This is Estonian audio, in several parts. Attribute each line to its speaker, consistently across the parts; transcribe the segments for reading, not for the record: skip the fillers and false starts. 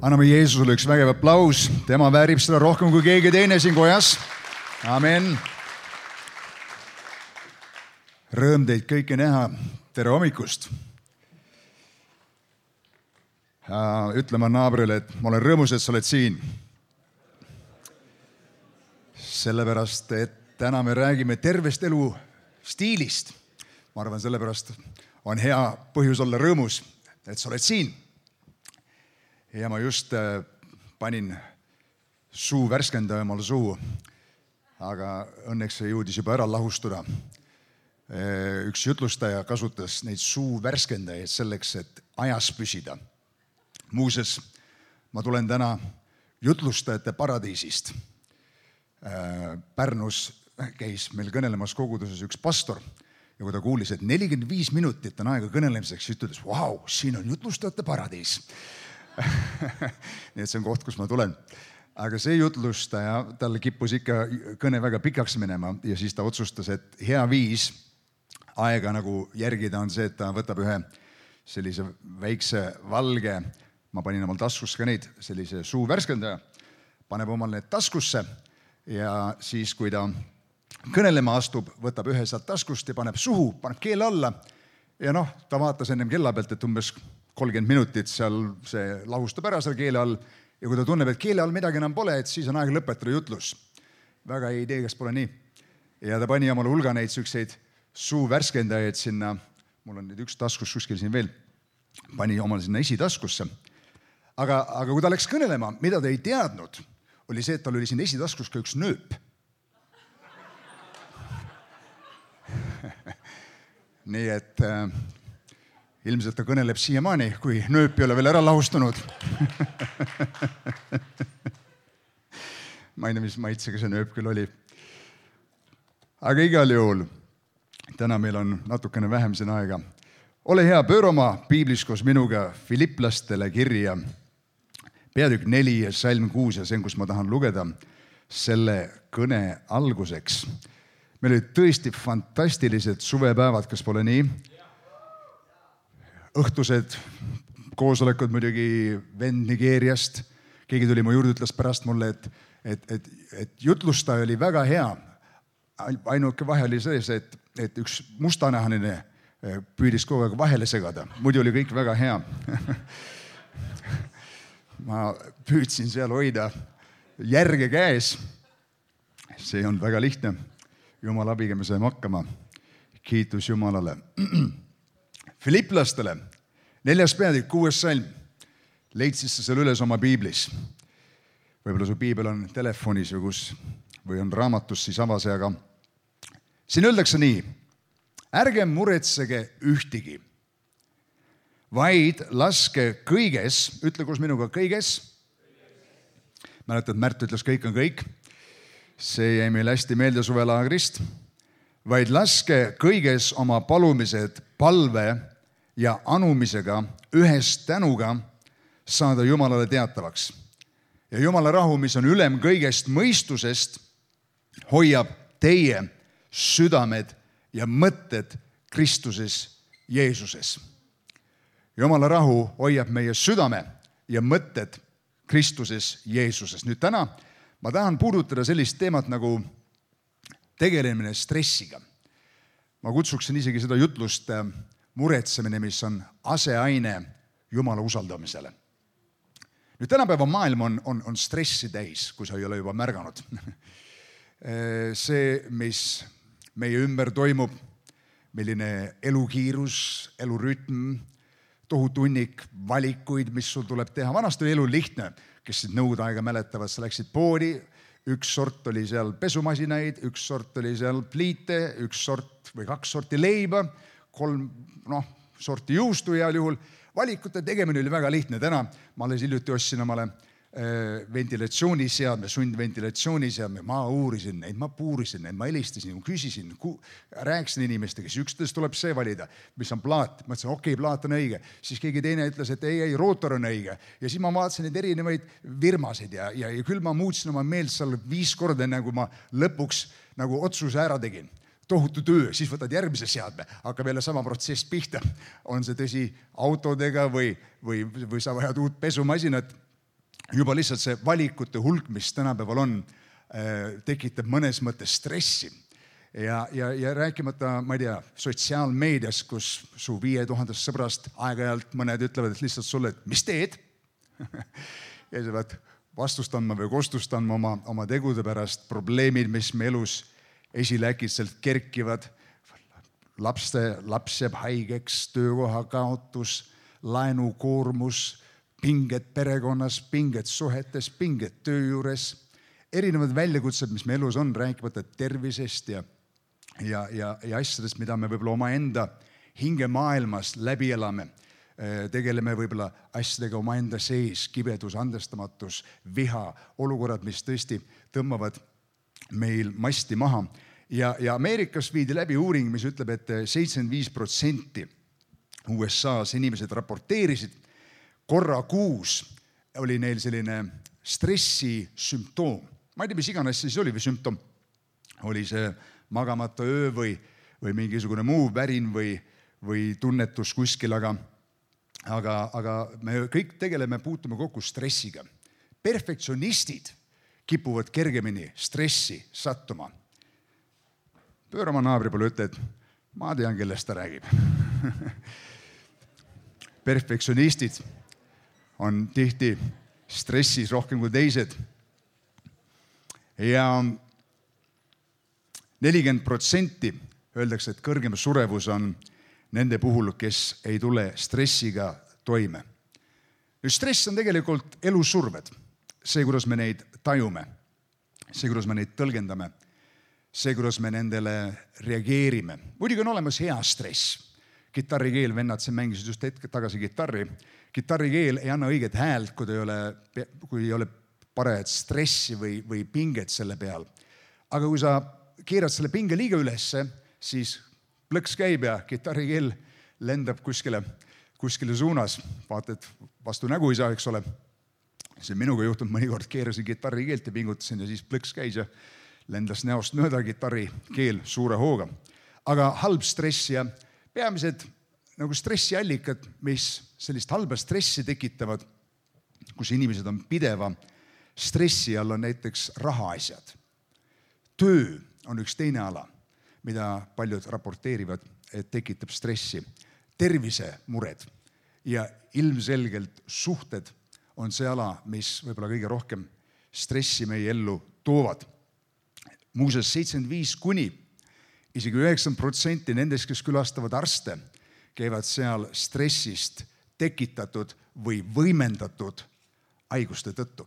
Speaker 1: Anname Jeesusele üks vägev aplaus. Tema väärib seda rohkem kui keegi teine siin kojas. Amen. Rõõm teid kõiki näha. Tere hommikust. Ütlema naabrile, et ma olen rõõmus, et sa oled siin. Sellepärast, et täna me räägime tervest elu stiilist. Ma arvan, sellepärast on hea põhjus olla rõõmus, et sa oled siin. Ja ma just panin suu värskendaja omal suhu, aga õnneks see jõudis juba ära lahustuda. Üks jutlustaja kasutas neid suu värskendajaid selleks, et ajas püsida. Muuses, ma tulen täna jutlustajate paradiisist. Pärnus käis meil kõnelemas koguduses üks pastor ja kui ta kuulis, et 45 minutit on aega kõnelemiseks, siis ütles, vau, siin on jutlustajate paradiis. Nii et see on koht, kus ma tulen. Aga see jutlustaja, tal kippus ikka kõne väga pikaks minema ja siis ta otsustas, et hea viis aega nagu järgida on see, et ta võtab ühe sellise väikse valge, ma panin omal taskusse ka neid, sellise suu värskendaja, paneb omal need taskusse ja siis, kui ta kõnelema astub, võtab ühe sealt taskust ja paneb suhu, paneb keele alla ja ta vaatas ennem kella pealt, et umbes 30 minutit seal see lahustab ära seal keele all ja kui ta tunneb, et keele all midagi enam pole, et siis on aeg lõpetada jutlus. Väga ei tee, kas pole nii. Ja ta pani omale hulga neid sükseid suu värskendajaid sinna, mul on nüüd üks taskus kuskil siin veel, pani omale sinna esitaskusse. Aga kui ta läks kõnelema, mida ta ei teadnud, oli see, et tal oli siin esitaskus ka üks nööp. Nii et ilmselt ta kõneleb siiamaani, kui nööp ei ole veel ära lahustunud. Ma ei tea, mis maitsega see nööp küll oli. Aga igal juhul, täna meil on natukene vähem siin aega. Ole hea, pööra oma piiblis koos minuga Filiplastele kirja peatükk 4 ja salm 6 ja see, kus ma tahan lugeda selle kõne alguseks. Meil olid tõesti fantastilised suvepäevad, kas pole nii? Õhtused koosolekud muidugi vend Nigeeriast. Keegi tuli mu juurde, ütles pärast mulle, et jutlustaja oli väga hea. Ainuke vahe oli sees, et üks mustanahaline püüdis kogu aeg vahele segada. Muidu oli kõik väga hea. Ma püüdsin seal hoida järge käes. See on väga lihtne. Jumala abiga me saime hakkama. Kiitus Jumalale. Filiplastele, 4. peatükk, 6. salm. Leidsid sa seal üles oma piiblis. Võib-olla su piibel on telefonis või on raamatus, siis avase, aga siin öeldakse nii. Ärge muretsege ühtigi, vaid laske kõiges, ütle koos minuga kõiges. Mäletad, Märt ütles, kõik on kõik. See jäi meil hästi meelde suvelaagrist. Vaid laske kõiges oma palumised palve ja anumisega ühes tänuga saada Jumalale teatavaks. Ja Jumala rahu, mis on ülem kõigest mõistusest, hoiab teie südamed ja mõtted Kristuses Jeesuses. Jumala rahu hoiab meie südame ja mõtted Kristuses Jeesuses. Nüüd täna ma tahan puudutada sellist teemat nagu tegelemine stressiga. Ma kutsuksin isegi seda jutlust muretsemine, mis on aseaine Jumala usaldamisele. Nüüd tänapäeva maailm on stressi täis, kui sa ei ole juba märganud. See, mis meie ümber toimub, milline elukiirus, elurütm, tohutu hunnik valikuid, mis sul tuleb teha. Vanasti oli elu lihtne, kes nõude aega mäletavad, sa läksid poodi, üks sort oli seal pesumasinaid, üks sort oli seal pliite, üks sort või 2 sorti leiba, 3 sorti juustu heal juhul. Valikute tegemine oli väga lihtne. Täna ma alles hiljuti ostsin omale ventilatsiooniseadme, sundventilatsiooniseadme. Ma uurisin neid, ma puurisin neid, ma helistasin, küsisin, rääkisin inimestega, siis üksteist tuleb see valida, mis on plaat. Ma ütlesin, okei, plaat on õige. Siis keegi teine ütles, et ei, rootor on õige. Ja siis ma vaatasin neid erinevaid virmasid ja küll ma muutsin oma meelt seal 5 korda, enne kui ma lõpuks nagu otsuse ära tegin. Tohutu töö, siis võtad järgmise seadme, hakkab jälle sama protsess pihta. On see tõsi autodega või sa vajad uut pesumasinat. juba lihtsalt see valikute hulk, mis tänapäeval on, tekitab mõnes mõttes stressi. Ja rääkimata, ma ei tea, sotsiaalmeedias, kus su 5000 sõbrast aeg-ajalt mõned ütlevad, et lihtsalt sulle, et mis teed? Ja sa pead vastust andma või kostust andma oma tegude pärast, probleemid, mis me elus esile äkitselt kerkivad, laps jääb haigeks, töökoha kaotus, laenukoormus, pinged perekonnas, pinged suhetes, pinged töö juures, erinevad väljakutsed, mis me elus on, rääkimata tervisest ja asjadest, mida me võib-olla omaenda hingemaailmas läbi elame. Tegeleme võib-olla asjadega omaenda sees, kibedus, andestamatus, viha, olukorrad, mis tõesti tõmbavad meil masti maha. Ja Ameerikas viidi läbi uuring, mis ütleb, et 75% USA-s inimesed raporteerisid, korra kuus oli neil selline stressi sümptoom. Ma ei tea, mis iganes siis oli või sümptom. Oli see magamata öö või mingisugune muu värin või tunnetus kuskil, aga me kõik puutume kokku stressiga. Perfektsionistid kipuvad kergemini stressi sattuma. Pööra oma naabri poole, ütle, et ma tean, kellest ta räägib. Perfektsionistid on tihti stressis rohkem kui teised. Ja 40% öeldakse, et kõrgem surevus on nende puhul, kes ei tule stressiga toime. Stress on tegelikult elusurved. See, kuidas me neid tajume, see, kuidas me neid tõlgendame, see, kuidas me nendele reageerime. Muidugi on olemas hea stress. Kitarrikeel, vennad, see mängisid just hetk tagasi kitarri. Kitarrikeel ei anna õiget häält, kui ei ole parajat stressi või pinget selle peal. Aga kui sa keerad selle pinge liiga ülesse, siis plõks käib ja kitarrikeel lendab kuskile suunas. Vaatad, vastu nägu ei saa, eks ole. See minuga juhtunud mõnikord, keerasin kitarrikeelt ja pingutasin ja siis plõks käis ja lendas näost mööda kitarrikeel suure hooga. Aga halb stress ja peamised nagu stressiallikad, mis sellist halba stressi tekitavad, kus inimesed on pideva stressi all, on näiteks rahaasjad. Töö on üks teine ala, mida paljud raporteerivad, et tekitab stressi. Tervisemured ja ilmselgelt suhted on see ala, mis võib-olla kõige rohkem stressi meie ellu toovad. Muuseas 75 kuni isegi 9% nendest, kes külastavad arste, käivad seal stressist tekitatud või võimendatud haiguste tõttu.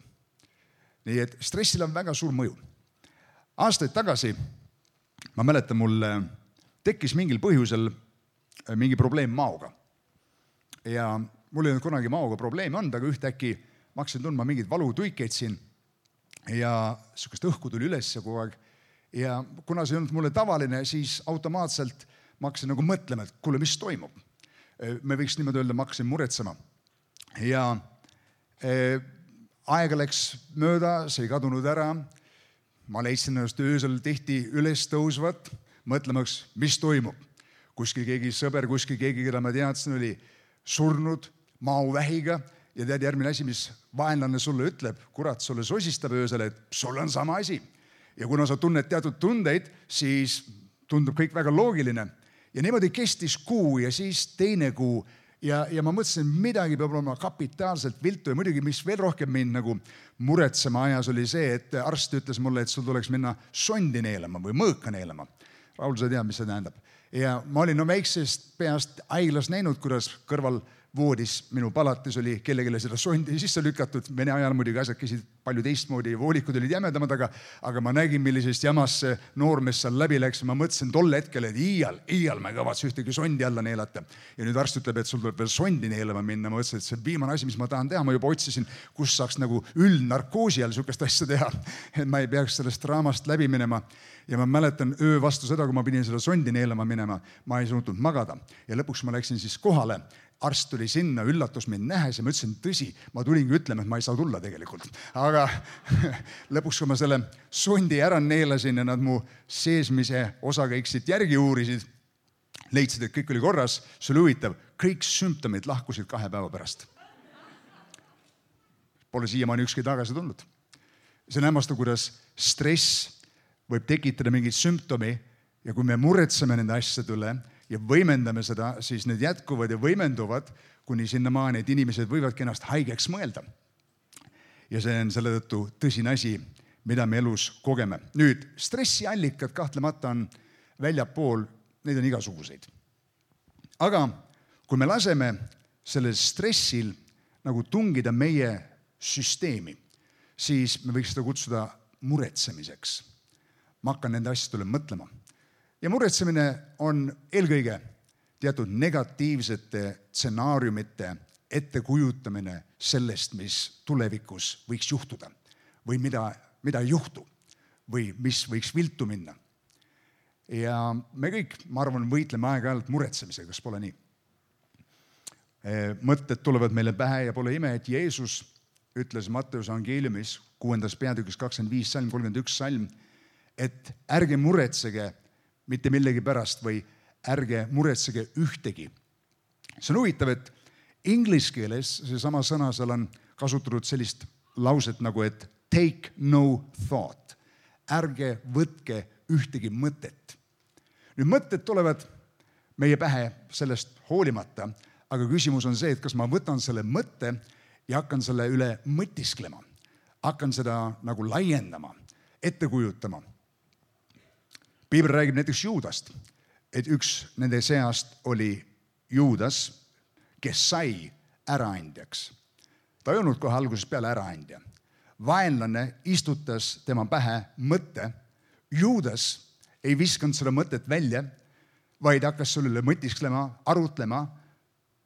Speaker 1: Nii et stressil on väga suur mõju. Aastaid tagasi, ma mäletan, mul tekkis mingil põhjusel mingi probleem maoga. Ja mul ei olnud kunagi maoga probleemi olnud, aga ühtäkki ma hakkasin tundma mingeid valutuikeid siin ja sihukest õhku tuli üles kogu aeg. Ja kuna see ei olnud mulle tavaline, siis automaatselt ma hakkasin nagu mõtlema, et kuule, mis toimub. Me võiks niimoodi öelda, ma hakkasin muretsema. Ja aega läks mööda, see ei kadunud ära. Ma leidsin ennast öösel tihti üles tõusvat, mõtlemaks, mis toimub. Kuskil keegi sõber, kuskil keegi, keda ma teadsin, oli surnud maovähiga ja tead järgmine asi, mis vaenlane sulle ütleb, kurat, sulle sosistab öösel, et sul on sama asi. Ja kuna sa tunned teatud tundeid, siis tundub kõik väga loogiline. Ja niimoodi kestis kuu ja siis teine kuu. Ja ma mõtlesin, midagi peab olema kapitaalselt viltu ja muidugi, mis veel rohkem mind nagu muretsema ajas, oli see, et arst ütles mulle, et sul tuleks minna sondi neelama või mõõka neelama. Raul, sa tead, mis see tähendab. Ja ma olin väiksest peast haiglas näinud, kuidas kõrval voodis minu palatis oli kellegile seda sondi sisse lükatud. Vene ajal muidugi asjad käisid palju teistmoodi, voolikud olid jämedamad, aga ma nägin, millisest jamast see noormees seal läbi läks. Ma mõtlesin tol hetkel, et iial ma ei kavatse ühtegi sondi alla neelata. Ja nüüd arst ütleb, et sul tuleb veel sondi neelama minna. Ma mõtlesin, et see on viimane asi, mis ma tahan teha. Ma juba otsisin, kus saaks nagu üldnarkoosi all sihukest asja teha, et ma ei peaks sellest draamast läbi minema. Ja ma mäletan öö vastu seda, kui ma pidin seda sondi neelama minema, ma ei suutnud magada. Ja lõpuks ma läksin siis kohale. Arst tuli sinna, üllatus mind nähes ja ma ütlesin, tõsi, ma tulingi ütlema, et ma ei saa tulla tegelikult. Aga lõpuks, kui ma selle sondi ära neelasin ja nad mu seesmise osakäiksid järgi uurisid, leidsid, et kõik oli korras, see oli huvitav, kõik sümptomid lahkusid 2 päeva pärast. pole siiamaani ükski tagasi tulnud. See on hämmastav, kuidas stress võib tekitada mingit sümptomi ja kui me muretseme nende asjade üle ja võimendame seda, siis need jätkuvad ja võimenduvad kuni sinnamaani, et inimesed võivadki ennast haigeks mõelda. Ja see on selle tõttu tõsine asi, mida me elus kogeme. Nüüd, stressiallikad kahtlemata on väljapool, neid on igasuguseid. Aga kui me laseme sellel stressil nagu tungida meie süsteemi, siis me võiks seda kutsuda muretsemiseks. Ma hakkan nende asjadele mõtlema. Ja muretsemine on eelkõige teatud negatiivsete stsenaariumite ettekujutamine sellest, mis tulevikus võiks juhtuda või mida ei juhtu või mis võiks viltu minna. Ja me kõik, ma arvan, võitleme aeg-ajalt muretsemisega, kas pole nii? Mõtted tulevad meile pähe ja pole ime, et Jeesus ütles Matteuse evangeeliumis 6. peatükis 25 salm, 31 salm, et ärge muretsege mitte millegi pärast või ärge muretsege ühtegi. See on huvitav, et inglise keeles seesama sõna seal on kasutatud sellist lauset nagu, et take no thought. Ärge võtke ühtegi mõtet. Nüüd mõtted tulevad meie pähe sellest hoolimata, aga küsimus on see, et kas ma võtan selle mõtte ja hakkan selle üle mõtisklema. Hakkan seda nagu laiendama, ette kujutama. Piibel räägib näiteks Juudast, et üks nende seast oli Juudas, kes sai äraandjaks. Ta ei olnud kohe algusest peale äraandja. Vaenlane istutas tema pähe mõtte. Juudas ei viskanud seda mõtet välja, vaid hakkas selle üle mõtisklema, arutlema,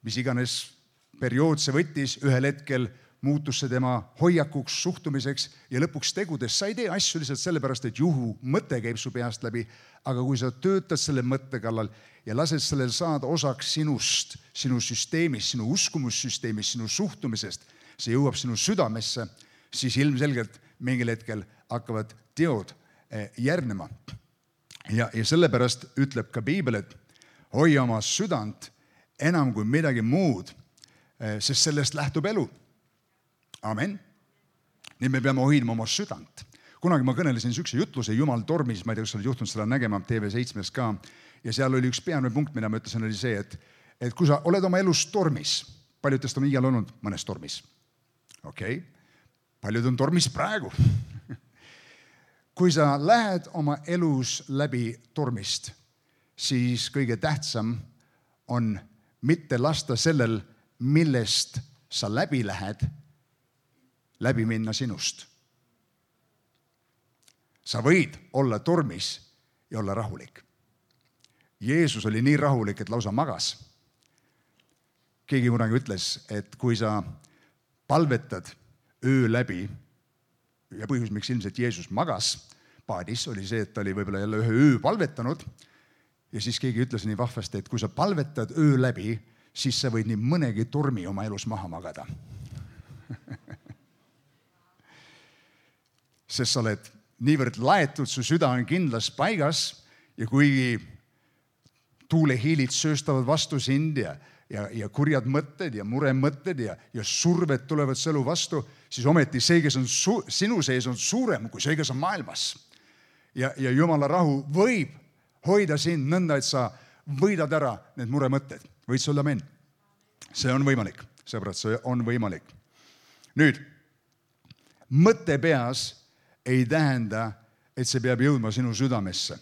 Speaker 1: mis iganes periood see võttis, ühel hetkel muutus see tema hoiakuks, suhtumiseks ja lõpuks tegudes. Sa ei tee asju lihtsalt sellepärast, et juhu mõte käib su peast läbi, aga kui sa töötad selle mõtte kallal ja lased sellel saada osaks sinust, sinu süsteemist, sinu uskumussüsteemist, sinu suhtumisest, see jõuab sinu südamesse, siis ilmselgelt mingil hetkel hakkavad teod järgnema. Ja sellepärast ütleb ka Piibel, et hoia oma südant enam kui midagi muud, sest sellest lähtub elu. Amen. Nii me peame hoidma oma südant. Kunagi ma kõnelesin sükse jutluse Jumal tormis, ma ei tea, kas oled juhtunud seda nägema TV7 ka, ja seal oli üks peamine punkt, mida ma ütlesin, oli see, et kui sa oled oma elus tormis, paljud teist on igal olnud mõnes tormis. Okei, paljud on tormis praegu. Kui sa lähed oma elus läbi tormist, siis kõige tähtsam on mitte lasta sellel, millest sa läbi lähed, läbi minna sinust. Sa võid olla tormis ja olla rahulik. Jeesus oli nii rahulik, et lausa magas. Keegi kunagi ütles, et kui sa palvetad öö läbi, ja põhjus, miks ilmselt Jeesus magas paadis, oli see, et ta oli võib-olla jälle ühe öö palvetanud, ja siis keegi ütles nii vahvasti, et kui sa palvetad öö läbi, siis sa võid nii mõnegi tormi oma elus maha magada. Sest sa oled niivõrd laetud, su süda on kindlas paigas ja kuigi tuulehiilid sööstavad vastu sind ja kurjad mõtted ja muremõtted ja surved tulevad sõelu vastu, siis ometi see, kes on sinu sees, on suurem kui see, kes on maailmas. Ja Jumala rahu võib hoida sind nõnda, et sa võidad ära need muremõtted. Võid sa olla amen? See on võimalik, sõbrad, see on võimalik. Nüüd, mõte peas ei tähenda, et see peab jõudma sinu südamesse.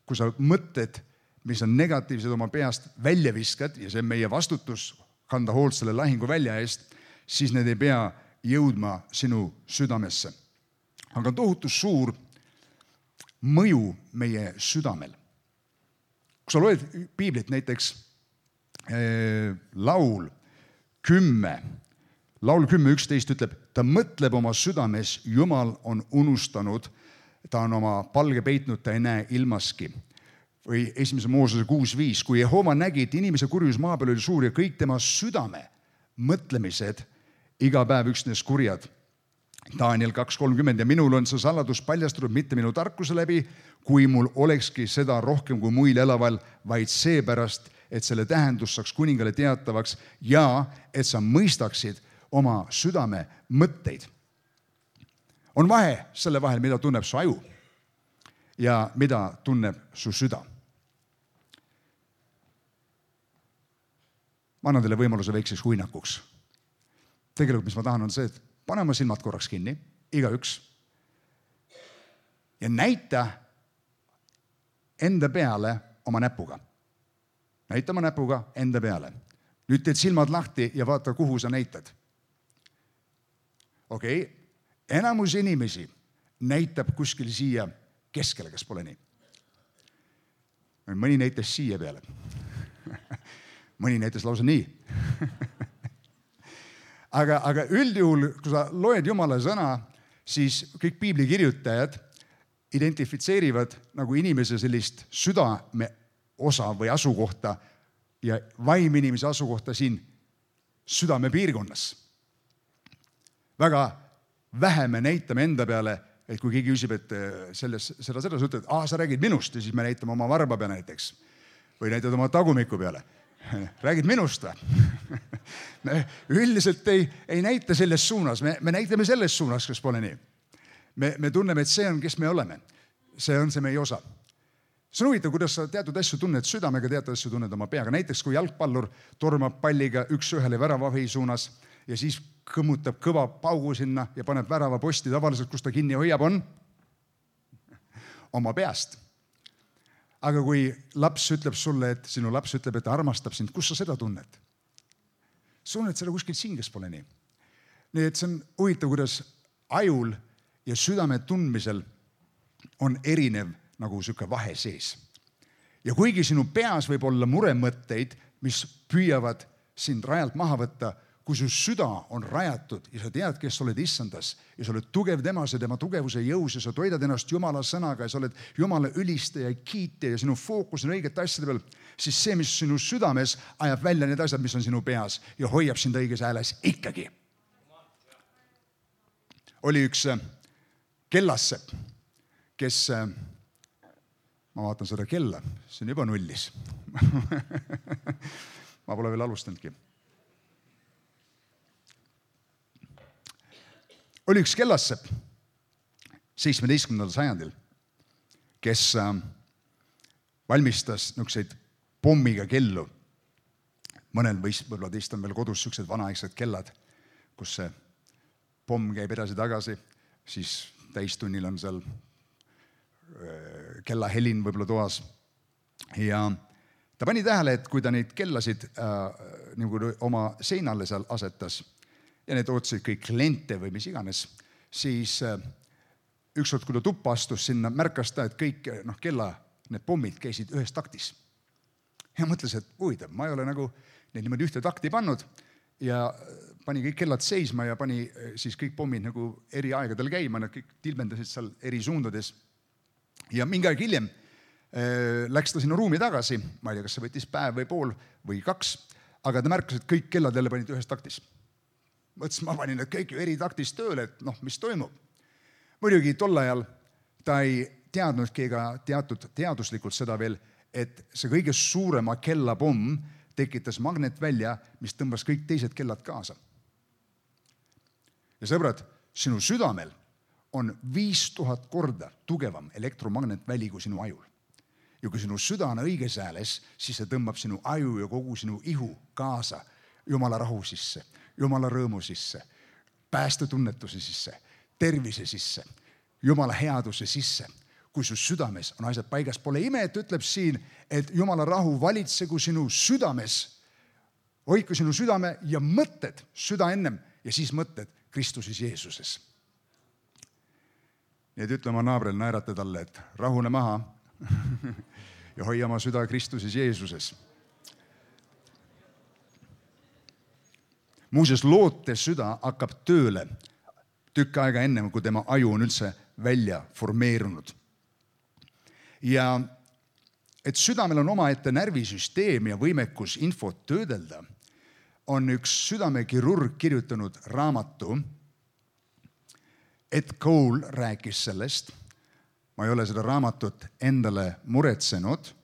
Speaker 1: Kui sa mõtted, mis on negatiivsed oma peast välja viskad, ja see on meie vastutus kanda hoolt selle lahingu välja eest, siis need ei pea jõudma sinu südamesse. Aga tohutu suur mõju meie südamel. Kui sa loed Piiblit näiteks Laul 10:11 ütleb, ta mõtleb oma südames, Jumal on unustanud, ta on oma palge peitnud, ta ei näe ilmaski. Või 1. Moosese 6:5, kui Jehova nägi, et inimese kurjus maa peal oli suur ja kõik tema südame mõtlemised iga päev üksnes kurjad. Daniel 2:30 ja minul on see saladus paljastunud mitte minu tarkuse läbi, kui mul olekski seda rohkem kui muil elaval, vaid seepärast, et selle tähendus saaks kuningale teatavaks ja et sa mõistaksid oma südame mõtteid. On vahe selle vahel, mida tunneb su aju ja mida tunneb su süda. Ma annan teile võimaluse väikseks huinakuks. Tegelikult, mis ma tahan, on see, et pane oma silmad korraks kinni, igaüks, ja näita enda peale oma näpuga. Näita oma näpuga enda peale. Nüüd teed silmad lahti ja vaata, kuhu sa näitad. Okei, enamus inimesi näitab kuskil siia keskele, kas pole nii? Mõni näitas siia peale. Mõni näitas lausa nii. Aga üldjuhul, kui sa loed Jumala sõna, siis kõik piibli kirjutajad identifitseerivad nagu inimese sellist südame osa või asukohta ja vaim inimese asukohta siin südame piirkonnas. Väga vähe me näitame enda peale, et kui keegi küsib, et seda ütled, sa räägid minust ja siis me näitame oma varba peale näiteks või näitad oma tagumiku peale. Räägid minust või? Me üldiselt ei näita selles suunas, me näitame selles suunas, kas pole nii. Me tunneme, et see on, kes me oleme. See on see meie osa. See on huvitav, kuidas sa teatud asju tunned südamega, teatud asju tunned oma peaga. Näiteks, kui jalgpallur tormab palliga 1-1 väravahi suunas ja siis kõmmutab kõva paugu sinna ja paneb värava posti tavaliselt, kus ta kinni hoiab, on oma peast. Aga kui laps ütleb sulle, et sinu laps ütleb, et ta armastab sind, kus sa seda tunned? Sa tunned seda kuskilt siin, kes pole nii. Nii et see on huvitav, kuidas ajul ja südame tundmisel on erinev nagu siuke vahe sees. Ja kuigi sinu peas võib olla muremõtteid, mis püüavad sind rajalt maha võtta, kui su süda on rajatud ja sa tead, kes sa oled issandas ja sa oled tugev temas ja tema tugevuse jõus ja sa toidad ennast Jumala sõnaga ja sa oled Jumala ülistaja ja kiitja ja sinu fookus on õigete asjade peal, siis see, mis sinu südames ajab välja need asjad, mis on sinu peas ja hoiab sind õiges hääles ikkagi. Oli üks kellassepp, kes, ma vaatan seda kella, see on juba nullis. Ma pole veel alustanudki. Oli üks kellassepp 17. sajandil, kes valmistas niisuguseid pommiga kellu. Mõnel võib-olla teist on veel kodus niisugused vanaaegsed kellad, kus see pomm käib edasi-tagasi, siis täistunnil on seal kellahelin võib-olla toas. Ja ta pani tähele, et kui ta neid kellasid nagu oma seinale seal asetas, ja need ootasid kõik kliente või mis iganes, siis ükskord, kui ta tuppa astus sinna, märkas ta, et kõik need pommid käisid ühes taktis. Ja mõtles, et huvitav, ma ei ole nagu neid niimoodi ühte takti pannud ja pani kõik kellad seisma ja pani siis kõik pommid nagu eri aegadel käima, nad kõik tilbendasid seal eri suundades. Ja mingi aeg hiljem läks ta sinna ruumi tagasi, ma ei tea, kas see võttis päev või pool või 2, aga ta märkas, et kõik kellad jälle panid ühes taktis. Mõtles, ma panin need kõik eri taktis tööle, et mis toimub. Muidugi tol ajal ta ei teadnudki ega teatud teaduslikult seda veel, et see kõige suurema kellapomm tekitas magnetvälja, mis tõmbas kõik teised kellad kaasa. Ja sõbrad, sinu südamel on 5000 korda tugevam elektromagnetväli kui sinu ajul. Ja kui sinu süda on õiges hääles, siis see tõmbab sinu aju ja kogu sinu ihu kaasa Jumala rahu sisse, Jumala rõõmu sisse, päästetunnetuse sisse, tervise sisse, Jumala headuse sisse. Kui su südames on asjad paigas, pole ime, et ütleb siin, et Jumala rahu valitsegu sinu südames. Hoidku sinu südame ja mõtted süda ennem ja siis mõtted Kristuses Jeesuses. Nii et ütle oma naabrel, naerata talle, et rahune maha ja hoia oma süda Kristuses Jeesuses. Muuseas, loote süda hakkab tööle tükk aega ennem, kui tema aju on üldse välja formeerunud. Ja et südamel on omaette närvisüsteem ja võimekus infot töödelda, on üks südamekirurg kirjutanud raamatu. Ed Cole rääkis sellest. Ma ei ole seda raamatut endale muretsenud.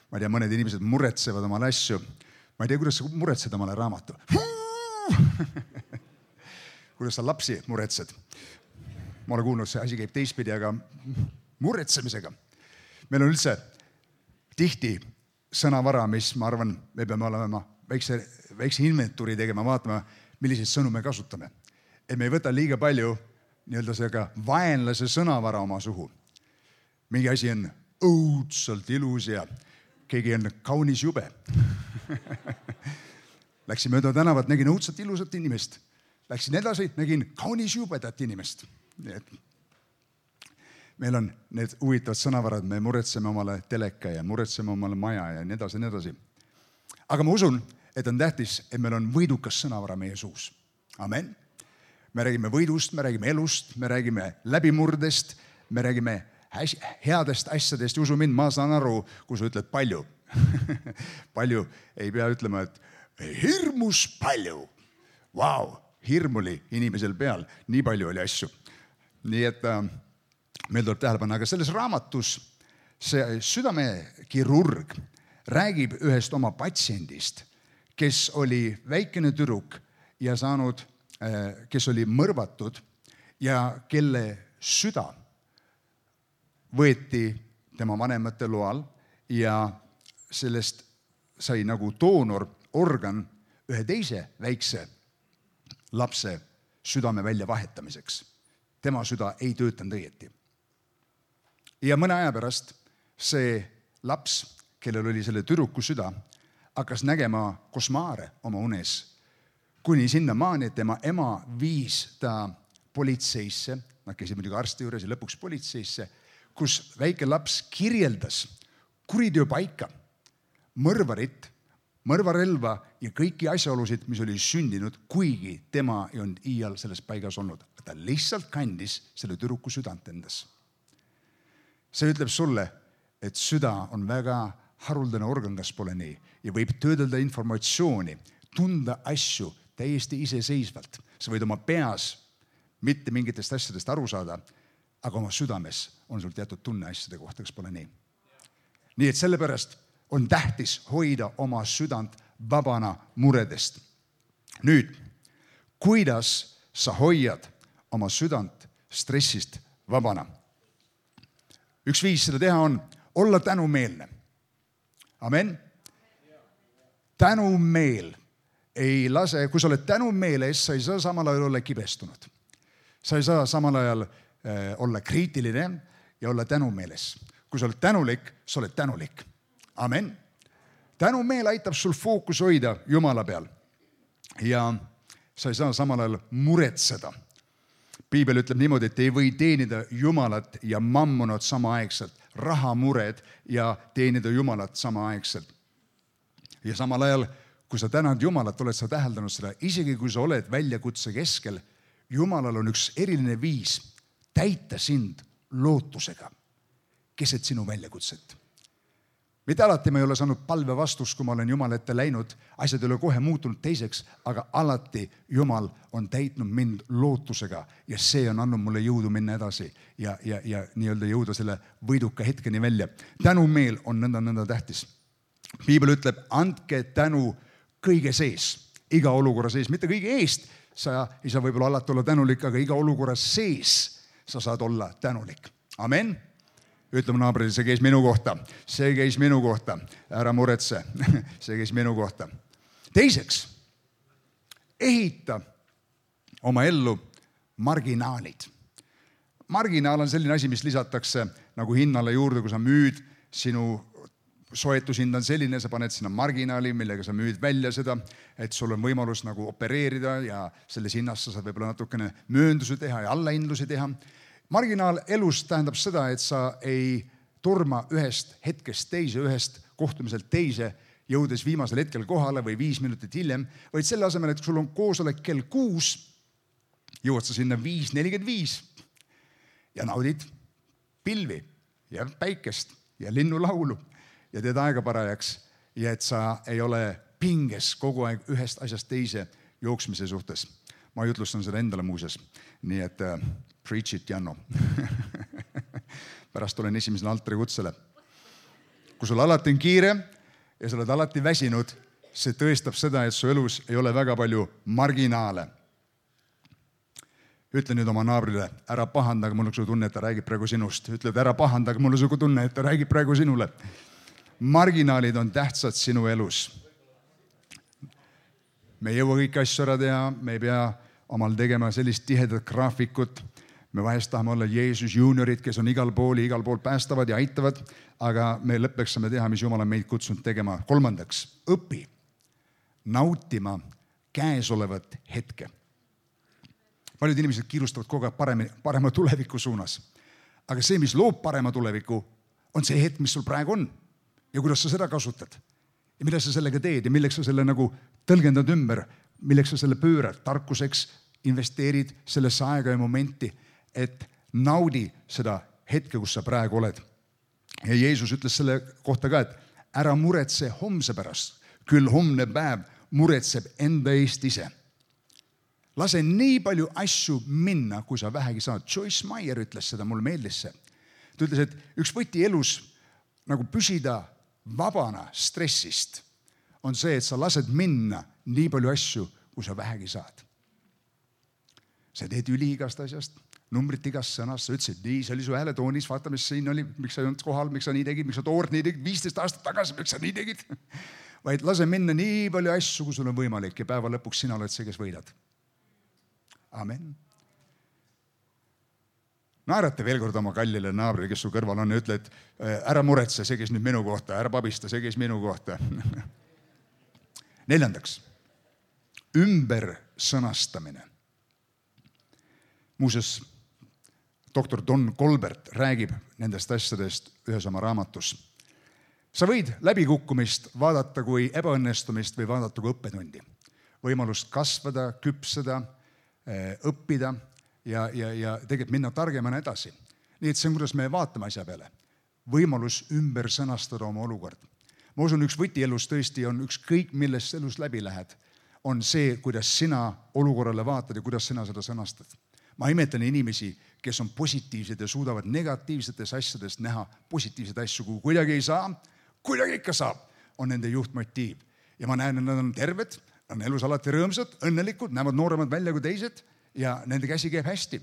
Speaker 1: Ma ei tea, mõned inimesed muretsevad omale asju. Ma ei tea, kuidas sa muretsed omale raamatu. Kuidas sa lapsi muretsed. Ma olen kuulnud, see asi käib teistpidi, aga muretsemisega. Meil on üldse tihti sõnavara, mis ma arvan, me peame olema väikse inventuuri tegema, vaatama, milliseid sõnu me kasutame. Et me ei võta liiga palju nii-öelda sellega vaenlase sõnavara oma suhu. Mingi asi on õudselt ilus ja keegi on kaunis jube. Läksin mööda tänavat, nägin õudselt ilusat inimest. Läksin edasi, nägin kaunis jubedat inimest. Nii et meil on need huvitavad sõnavarad, me muretseme omale teleka ja muretseme omale maja ja nii edasi, nii edasi. Aga ma usun, et on tähtis, et meil on võidukas sõnavara meie suus. Amen. Me räägime võidust, me räägime elust, me räägime läbimurdest, me räägime headest asjadest. Usu mind, ma saan aru, kui sa ütled palju. Palju ei pea ütlema, et hirmus palju. Vau, hirm oli inimesel peal, nii palju oli asju. Nii et meil tuleb tähele panna, aga selles raamatus see südamekirurg räägib ühest oma patsiendist, kes oli väikene tüdruk ja saanud, kes oli mõrvatud ja kelle süda võeti tema vanemate loal ja sellest sai nagu doonororgan ühe teise väikse lapse südame välja vahetamiseks. Tema süda ei töötanud õieti. Ja mõne aja pärast see laps, kellel oli selle tüdruku süda, hakkas nägema košmaare oma unes, kuni sinna maani, et tema ema viis ta politseisse, nad käisid muidugi arsti juures ja lõpuks politseisse, kus väike laps kirjeldas kuriteopaika, mõrvarit, mõrvarelva ja kõiki asjaolusid, mis oli sündinud, kuigi tema ei olnud iial selles paigas olnud. Ta lihtsalt kandis selle tüdruku südant endas. See ütleb sulle, et süda on väga haruldane organ, kas pole nii, ja võib töödelda informatsiooni, tunda asju täiesti iseseisvalt. Sa võid oma peas mitte mingitest asjadest aru saada, aga oma südames on sul teatud tunne asjade kohta, kas pole nii. Nii et sellepärast on tähtis hoida oma südant vabana muredest. Nüüd, kuidas sa hoiad oma südant stressist vabana? Üks viis seda teha on olla tänumeelne. Amen. Tänumeel ei lase, kui sa oled tänumeeles, sa ei saa samal ajal olla kibestunud. Sa ei saa samal ajal olla kriitiline ja olla tänumeeles. Kui sa oled tänulik, sa oled tänulik. Amen. Tänumeel aitab sul fookus hoida Jumala peal ja sa ei saa samal ajal muretseda. Piibel ütleb niimoodi, et ei või teenida Jumalat ja mammonat samaaegselt, rahamured ja teenida Jumalat samaaegselt. Ja samal ajal, kui sa tänad Jumalat, oled sa täheldanud seda, isegi kui sa oled väljakutse keskel, Jumalal on üks eriline viis täita sind lootusega keset sinu väljakutset. Mitte alati ma ei ole saanud palve vastust, kui ma olen Jumala ette läinud, asjad ei ole kohe muutunud teiseks, aga alati Jumal on täitnud mind lootusega ja see on andnud mulle jõudu minna edasi ja nii-öelda jõuda selle võiduka hetkeni välja. Tänumeel on nõnda tähtis. Piibel ütleb, andke tänu kõige sees, iga olukorra sees, mitte kõige eest. Sa ei saa võib-olla alati olla tänulik, aga iga olukorra sees sa saad olla tänulik. Amen. Ütleme naabrile, see käis minu kohta, see käis minu kohta, ära muretse, see käis minu kohta. Teiseks, ehita oma ellu marginaalid. Marginaal on selline asi, mis lisatakse nagu hinnale juurde, kui sa müüd, sinu soetushind on selline, sa paned sinna marginaali, millega sa müüd välja seda, et sul on võimalus nagu opereerida ja selles hinnas sa saad võib-olla natukene mööndusi teha ja allahindlusi teha. Marginaal elus tähendab seda, et sa ei turma ühest hetkest teise, ühest kohtumiselt teise, jõudes viimasel hetkel kohale või 5 minutit hiljem, vaid selle asemel, et sul on koosolek kell 6, jõuad sa sinna 5:45 ja naudid pilvi ja päikest ja linnulaulu ja teed aega parajaks ja et sa ei ole pinges kogu aeg ühest asjast teise jooksmise suhtes. Ma jutlustan seda endale muuses, nii et preach it, Janno. Pärast olen esimesele altari kutsele. kui sul alati on kiire ja sa oled alati väsinud, see tõestab seda, et su elus ei ole väga palju marginaale. Ütle nüüd oma naabrile, ära pahandage, mul on su tunne, et ta räägib praegu sinust. Ütle, et ära pahandage, mul on su tunne, et ta räägib praegu sinule. Marginaalid on tähtsad sinu elus. Me ei jõua kõiki asju ära teha, me ei pea omal tegema sellist tihedat graafikut. Me vahest tahame olla Jeesus juuniorid, kes on igal pool päästavad ja aitavad, aga me lõppeks saame teha, mis Jumal on meid kutsunud tegema. 3. õpi nautima käesolevat hetke. Paljud inimesed kiirustavad kogu aeg parema tuleviku suunas. Aga see, mis loob parema tuleviku, on see hetk, mis sul praegu on. Ja kuidas sa seda kasutad. Ja mida sa sellega teed ja milleks sa selle nagu tõlgendad ümber, milleks sa selle pöörad. Tarkuseks investeerid sellesse aega ja momenti, et naudi seda hetke, kus sa praegu oled. Ja Jeesus ütles selle kohta ka, et ära muretse homse pärast. Küll homne päev muretseb enda eest ise. Lase nii palju asju minna, kui sa vähegi saad. Joyce Meyer ütles seda, mul meeldis see. Ta ütles, et üks võti elus nagu püsida vabana stressist on see, et sa lased minna nii palju asju, kui sa vähegi saad. Sa teed üliigast asjast, numbrit igast sõnast, sa ütlesid nii, see oli su hääletoonis, vaata, mis siin oli, miks sa ei olnud kohal, miks sa nii tegid, miks sa toort nii tegid, 15 aastat tagasi, miks sa nii tegid. Vaid lase minna nii palju asju, kui sul on võimalik ja päeva lõpuks sina oled see, kes võidad. Amen. Naerata veel kord oma kallile naabrile, kes su kõrval on ja ütle, et ära muretse, see käis nüüd minu kohta, ära pabista, see käis minu kohta. 4. Ümbersõnastamine. Muuseas, doktor Don Colbert räägib nendest asjadest ühes oma raamatus. Sa võid läbikukkumist vaadata kui ebaõnnestumist või vaadata kui õppetundi. Võimalust kasvada, küpseda, õppida ja tegelikult minna targemana edasi. Nii et see on, kuidas me vaatame asja peale. Võimalus ümber sõnastada oma olukord. Ma usun, üks võti elus tõesti on ükskõik, millest elus läbi lähed, on see, kuidas sina olukorrale vaatad ja kuidas sina seda sõnastad. Ma imetlen inimesi, kes on positiivsed ja suudavad negatiivsetes asjadest näha positiivseid asju, kui kuidagi ei saa, kuidagi ikka saab, on nende juhtmotiiv. Ja ma näen, et nad on terved, on elus alati rõõmsad, õnnelikud, näevad nooremad välja kui teised ja nende käsi käib hästi.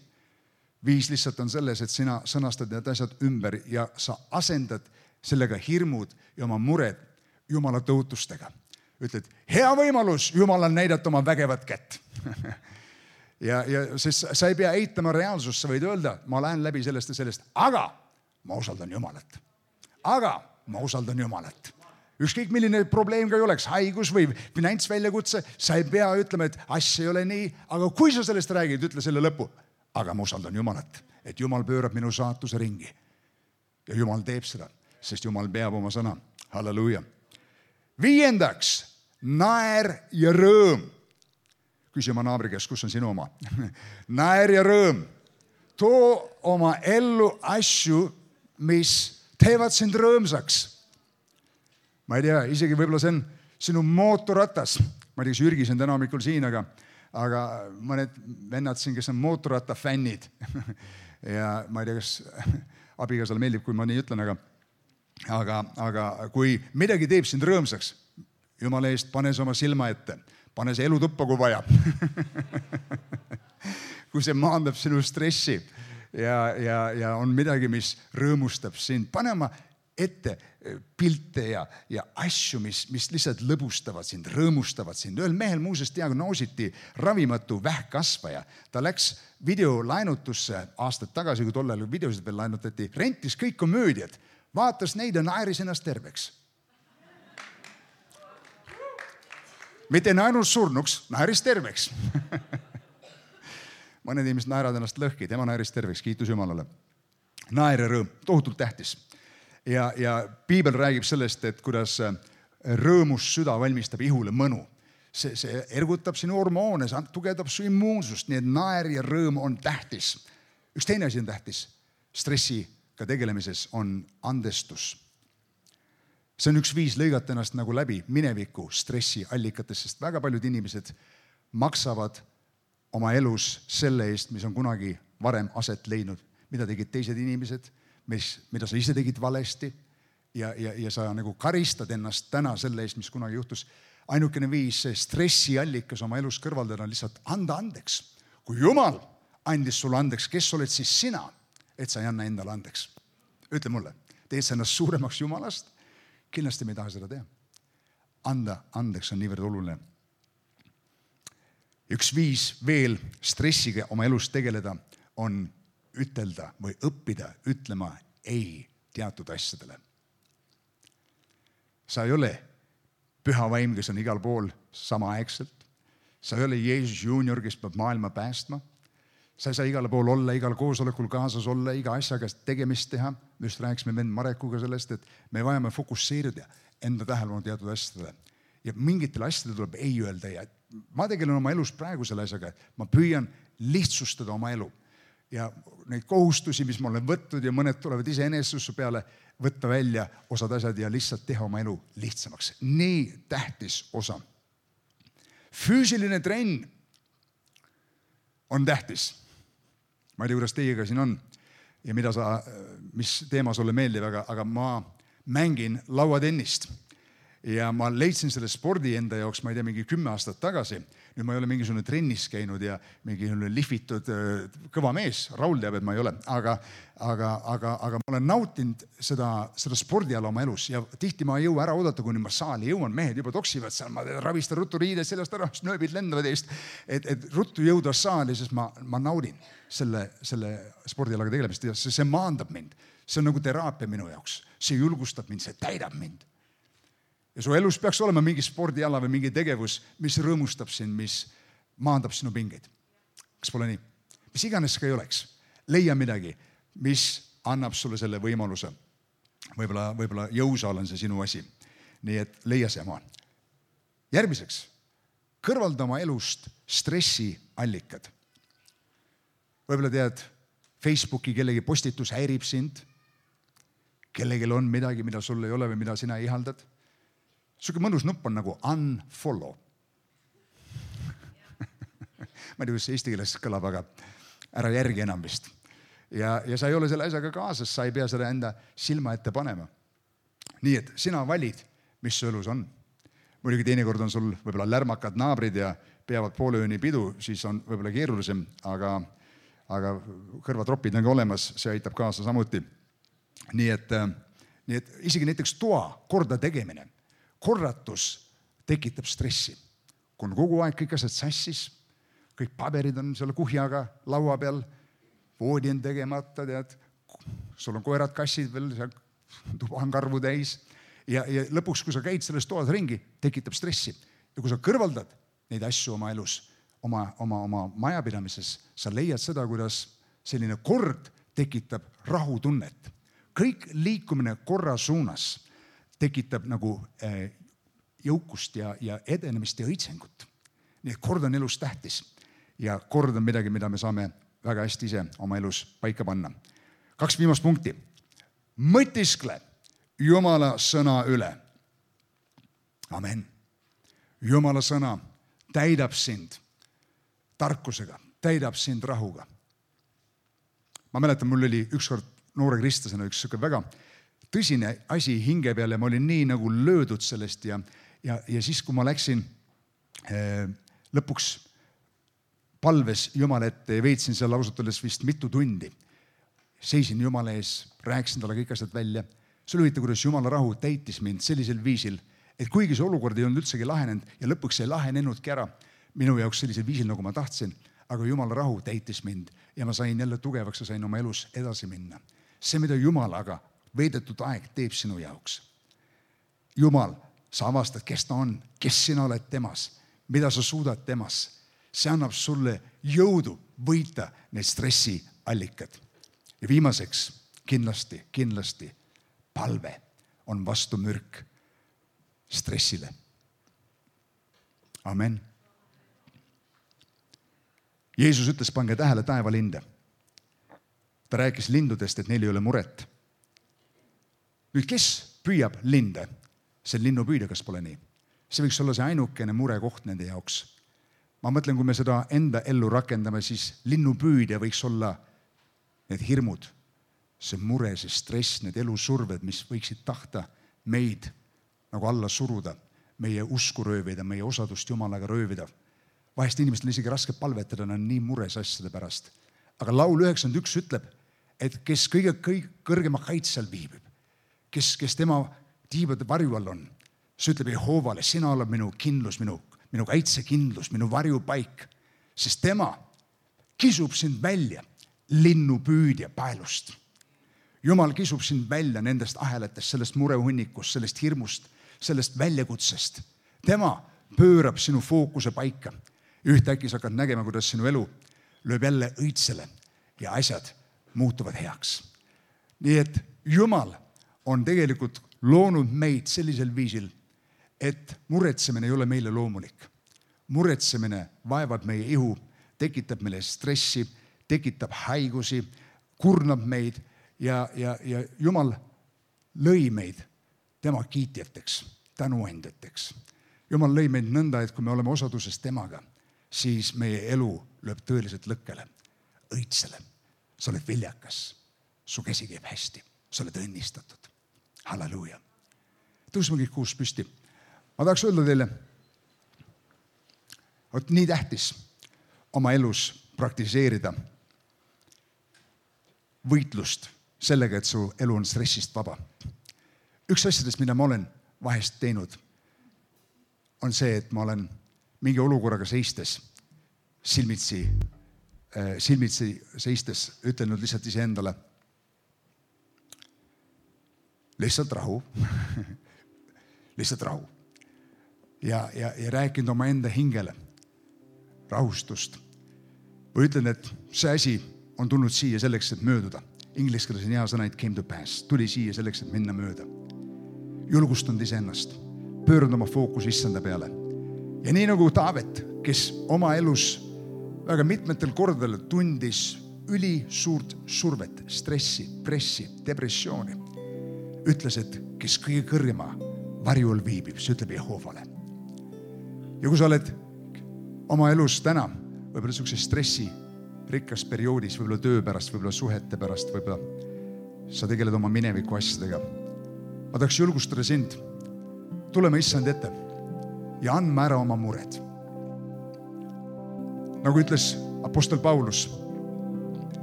Speaker 1: Viis lihtsalt on selles, et sina sõnastad need asjad ümber ja sa asendad sellega hirmud ja oma mured Jumala tõotustega. Ütled, hea võimalus Jumalal näidata oma vägevat kätt. ja sest sa ei pea eitama reaalsust, sa võid öelda, ma lähen läbi sellest ja sellest, aga ma usaldan Jumalat. Aga ma usaldan Jumalat. Ükskõik milline probleem ka ei oleks, haigus või finantsväljakutse, sa ei pea ütlema, et asja ei ole nii, aga kui sa sellest räägid, ütle selle lõpu. Aga ma usaldan Jumalat, et Jumal pöörab minu saatuse ringi. Ja Jumal teeb seda, sest Jumal peab oma sõna. Halleluuja. 5. Naer ja rõõm. Küsi oma naabri käest, kus on sinu oma? Naer ja rõõm. Too oma ellu asju, mis teevad sind rõõmsaks. Ma ei tea, isegi võib-olla see on sinu mootorratas. Ma ei tea, kas Jürgis on täna hommikul siin, aga mõned vennad siin, kes on mootorratta fännid. ja ma ei tea, kas abikaasale meeldib, kui ma nii ütlen, aga kui midagi teeb sind rõõmsaks, Jumala eest, pane see oma silma ette. Pane see elutuppa, kui vaja. kui see maandab sinu stressi ja on midagi, mis rõõmustab sind. Pane oma ette pilte ja asju, mis lihtsalt lõbustavad sind, rõõmustavad sind. Ühel mehel muuseas diagnoositi ravimatu vähkkasvaja. Ta läks videolainutusse aastad tagasi, kui tollal videosid veel lainutati, rentis kõik komöödiad, vaatas neid ja naeris ennast terveks. Mitte ainult surnuks, naeris terveks. Mõned inimesed naeravad ennast lõhki, tema naeris terveks, kiitus Jumalale. Naer ja rõõm, tohutult tähtis. Ja Piibel räägib sellest, et kuidas rõõmus süda valmistab ihule mõnu. See ergutab sinu hormoone, see tugevdab su immuunsust, nii et naer ja rõõm on tähtis. Üks teine asi on tähtis. Stressiga tegelemises on andestus. See on üks viis lõigata ennast nagu läbi mineviku stressi allikatest, sest väga paljud inimesed maksavad oma elus selle eest, mis on kunagi varem aset leidnud, mida tegid teised inimesed, mida sa ise tegid valesti ja sa nagu karistad ennast täna selle eest, mis kunagi juhtus. Ainukene viis stressiallikas oma elus kõrvaldada on lihtsalt anda andeks. Kui Jumal andis sulle andeks, kes oled siis sina, et sa ei anna endale andeks? Ütle mulle, teed sa ennast suuremaks Jumalast? Kindlasti me ei taha seda teha. Anda andeks on niivõrd oluline. Üks viis veel stressiga oma elus tegeleda on ütelda või õppida ütlema ei teatud asjadele. Sa ei ole püha vaim, kes on igal pool samaaegselt. Sa ei ole Jeesus Junior, kes peab maailma päästma. Sa ei saa igal pool olla, igal koosolekul kaasas olla, iga asjaga tegemist teha. Me just rääkisime vend Marekuga sellest, et me vajame fokusseerida enda tähelepanu teatud asjadele. Ja mingitele asjadele tuleb ei öelda. Ja ma tegelen oma elus praegu selle asjaga, et ma püüan lihtsustada oma elu. Ja neid kohustusi, mis ma olen võtnud ja mõned tulevad iseenesesse peale, võtta välja osad asjad ja lihtsalt teha oma elu lihtsamaks. Nii tähtis osa. Füüsiline trenn on tähtis. Ma ei tea, kuidas teiega siin on ja mis teema sulle meeldib, aga ma mängin lauatennist. Ja ma leidsin selle spordi enda jaoks, ma ei tea, mingi 10 aastat tagasi. Nüüd ma ei ole mingisugune trennis käinud ja mingisugune lihvitud kõva mees. Raul teab, et ma ei ole. Aga ma olen nautinud seda spordiala oma elus ja tihti ma ei jõua ära oodata, kuni ma saali jõuan. Mehed juba toksivad seal, ma ravistan ruttu riided sellest ära, nööbid lendavad eest, et ruttu jõuda saali, sest ma naudin selle spordialaga tegelemist ja see maandab mind. See on nagu teraapia minu jaoks. See julgustab mind, see täidab mind. Ja su elus peaks olema mingi spordiala või mingi tegevus, mis rõõmustab sind, mis maandab sinu pingeid. Kas pole nii? Mis iganes ka ei oleks. Leia midagi, mis annab sulle selle võimaluse. Võib-olla jõusaal on see sinu asi. Nii et leia see maa. Järgmiseks, kõrvalda oma elust stressiallikad. Võib-olla tead, Facebooki kellegi postitus häirib sind, kellelgi on midagi, mida sul ei ole või mida sina ihaldad. Suke mõnus nupp on nagu unfollow. Ma ei tea, kuidas eesti keeles kõlab, aga ära järgi enam vist. Ja sa ei ole selle asjaga kaasas, sa ei pea seda enda silma ette panema. Nii et sina valid, mis su elus on. Muidugi teinekord on sul võib-olla lärmakad naabrid ja peavad poole ööni pidu, siis on võib-olla keerulisem, aga kõrvatropid on ka olemas, see aitab kaasa samuti. Nii et isegi näiteks toa korda tegemine. Korratus tekitab stressi. Kui on kogu aeg kõik asjad sassis, kõik paberid on selle kuhjaga laua peal, voodi on tegemata, tead, sul on koerad, kassid veel, tuba on karvu täis ja lõpuks, kui sa käid selles toas ringi, tekitab stressi. Ja kui sa kõrvaldad neid asju oma elus, oma majapidamises, sa leiad seda, kuidas selline kord tekitab rahutunnet. Kõik liikumine korra suunas tekitab nagu jõukust ja edenemist ja õitsengut. Nii et kord on elus tähtis ja kord on midagi, mida me saame väga hästi ise oma elus paika panna. 2 viimast punkti. Mõtiskle Jumala sõna üle. Amen. Jumala sõna täidab sind tarkusega, täidab sind rahuga. Ma mäletan, mul oli ükskord noore kristlasena üks väga tõsine asi hinge peal ja ma olin nii nagu löödud sellest ja siis, kui ma läksin lõpuks palves Jumala ette ja veetsin seal ausalt öeldes vist mitu tundi. Seisin Jumala ees, rääkisin talle kõik asjad välja. See oli huvitav, kuidas Jumala rahu täitis mind sellisel viisil, et kuigi see olukord ei olnud üldsegi lahenenud ja lõpuks ei lahenenudki ära minu jaoks sellisel viisil, nagu ma tahtsin, aga Jumala rahu täitis mind ja ma sain jälle tugevaks ja sain oma elus edasi minna. See, mida Jumalaga veedetud aeg teeb sinu jaoks. Jumal, sa avastad, kes ta on, kes sina oled temas, mida sa suudad temas. See annab sulle jõudu võita need stressiallikad. Ja viimaseks, kindlasti palve on vastu mürk stressile. Amen. Jeesus ütles, pange tähele taevalinde. Ta rääkis lindudest, et neil ei ole muret. Nüüd, kes püüab linde? See linnupüüdja, kas pole nii? See võiks olla see ainukene murekoht nende jaoks. Ma mõtlen, kui me seda enda ellu rakendame, siis linnupüüdja võiks olla need hirmud, see mure, see stress, need elusurved, mis võiksid tahta meid nagu alla suruda, meie usku röövida, meie osadust Jumalaga röövida. Vahest inimestel isegi raske palvetada, nad on nii mures asjade pärast. Aga laul 91 ütleb, et kes kõige kõrgema kaitsel viibib, kes tema tiibade varju all on, see ütleb Jehoovale, sina oled minu kindlus, minu kaitsekindlus, minu varjupaik, sest tema kisub sind välja linnupüüdja paelust. Jumal kisub sind välja nendest ahelatest, sellest murehunnikust, sellest hirmust, sellest väljakutsest. Tema pöörab sinu fookuse paika. Ühtäkki sa hakkad nägema, kuidas sinu elu lööb jälle õitsele ja asjad muutuvad heaks. Nii et Jumal on tegelikult loonud meid sellisel viisil, et muretsemine ei ole meile loomulik. Muretsemine vaevab meie ihu, tekitab meile stressi, tekitab haigusi, kurnab meid ja Jumal lõi meid tema kiitjateks, tänuandjateks. Jumal lõi meid nõnda, et kui me oleme osaduses temaga, siis meie elu lööb tõeliselt lõkkele, õitsele. Sa oled viljakas, su käsi käib hästi, sa oled õnnistatud. Halleluuja. Tõusme kõik kuus püsti. Ma tahaks öelda teile, et nii tähtis oma elus praktiseerida võitlust sellega, et su elu on stressist vaba. Üks asjadest, mida ma olen vahest teinud, on see, et ma olen mingi olukorraga seistes, silmitsi seistes, ütlenud lihtsalt iseendale, lihtsalt rahu, lihtsalt rahu. Ja rääkinud oma enda hingele rahustust. Või ütlen, et see asi on tulnud siia selleks, et mööduda. Inglise keeles on hea sõna, it came to pass. Tuli siia selleks, et minna mööda. Julgustanud iseennast. Pööranud oma fookus issanda peale. Ja nii nagu Taavet, kes oma elus väga mitmetel kordadel tundis üli suurt survet, stressi, pressi, depressiooni, ütles, et kes kõige kõrgema varjul viibib, see ütleb Jehoovale. Ja kui sa oled oma elus täna, võib-olla niisuguse stressi rikas perioodis, võib-olla töö pärast, võib-olla suhete pärast, võib-olla sa tegeled oma mineviku asjadega. Ma tahaks julgustada sind, tuleme issand ette ja andme ära oma mured. Nagu ütles apostel Paulus,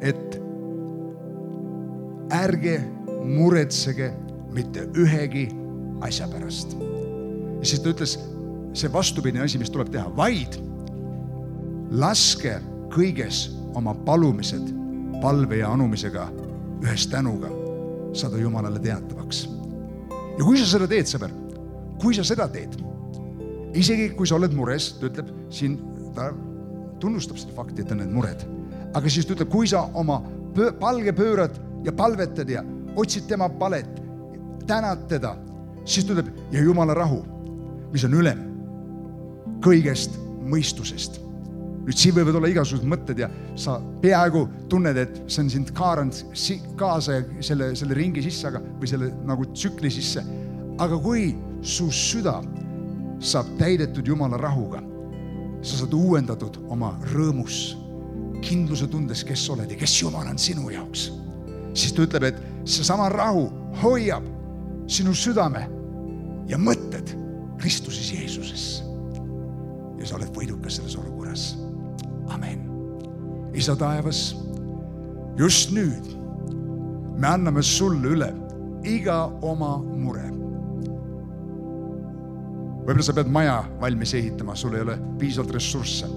Speaker 1: et ärge muretsege mitte ühegi asja pärast. Ja siis ta ütles, see vastupidine asi, mis tuleb teha, vaid laske kõiges oma palumised palve ja anumisega ühes tänuga saada Jumalale teatavaks. Ja kui sa seda teed, sõber, kui sa seda teed, isegi kui sa oled mures, ta ütleb, siin ta tunnustab seda fakti, et on need mured, aga siis ta ütleb, kui sa oma palge pöörad ja palvetad ja otsid tema palet, tänad teda, siis ta ütleb, ja Jumala rahu, mis on ülem kõigest mõistusest. Nüüd siin võivad olla igasugused mõtted ja sa peaaegu tunned, et see on sind kaaranud kaasa selle ringi sisse, või selle nagu tsükli sisse. Aga kui su süda saab täidetud Jumala rahuga, sa saad uuendatud oma rõõmus, kindluse tundes, kes oled ja kes Jumal on sinu jaoks. Siis ta ütleb, et see sama rahu hoiab sinu südame ja mõtted Kristuses Jeesuses. Ja sa oled võidukas selles olukorras. Amen. Isa taevas, just nüüd me anname sulle üle iga oma mure. Võib-olla sa pead maja valmis ehitama, sul ei ole piisavalt ressursse.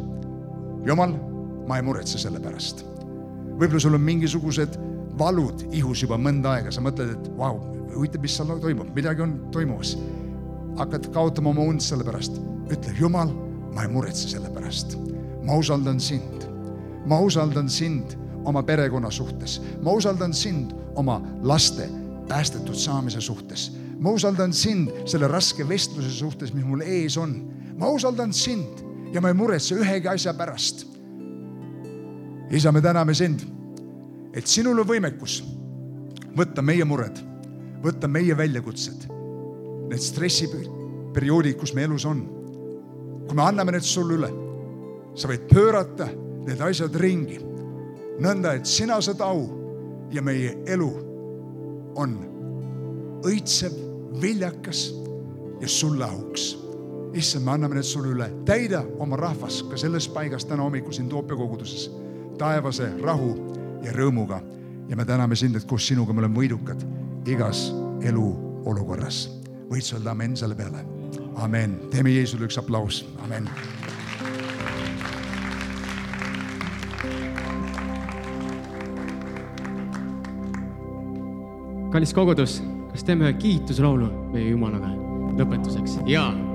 Speaker 1: Jumal, ma ei muretse selle pärast. Võib-olla sul on mingisugused valud ihus juba mõnda aega. Sa mõtled, et vau, huvitav, mis seal toimub, midagi on toimumas. Hakkad kaotama oma und selle pärast. Ütle, Jumal, ma ei muretse selle pärast. Ma usaldan sind. Ma usaldan sind oma perekonna suhtes. Ma usaldan sind oma laste päästetud saamise suhtes. Ma usaldan sind selle raske vestluse suhtes, mis mul ees on. Ma usaldan sind ja ma ei muretse ühegi asja pärast. Isa, me täname sind, et sinul on võimekus võtta meie mured, võtta meie väljakutsed, need stressiperioodid, kus me elus on. Kui me anname need sulle üle, sa võid pöörata need asjad ringi, nõnda, et sina saad au ja meie elu on õitsev, viljakas ja sulle auks. Issand, me anname need sulle üle. Täida oma rahvas ka selles paigas täna hommikul siin Toopja koguduses taevase rahu ja rõõmuga. Ja me täname sind, et koos sinuga me oleme võidukad igas elu olukorras. Võid sa öelda amen selle peale. Amen. Teeme Jeesule üks aplaus. Amen.
Speaker 2: Kallis kogudus, kas teeme ühe kiituslaulu meie Jumalaga lõpetuseks? Jaa.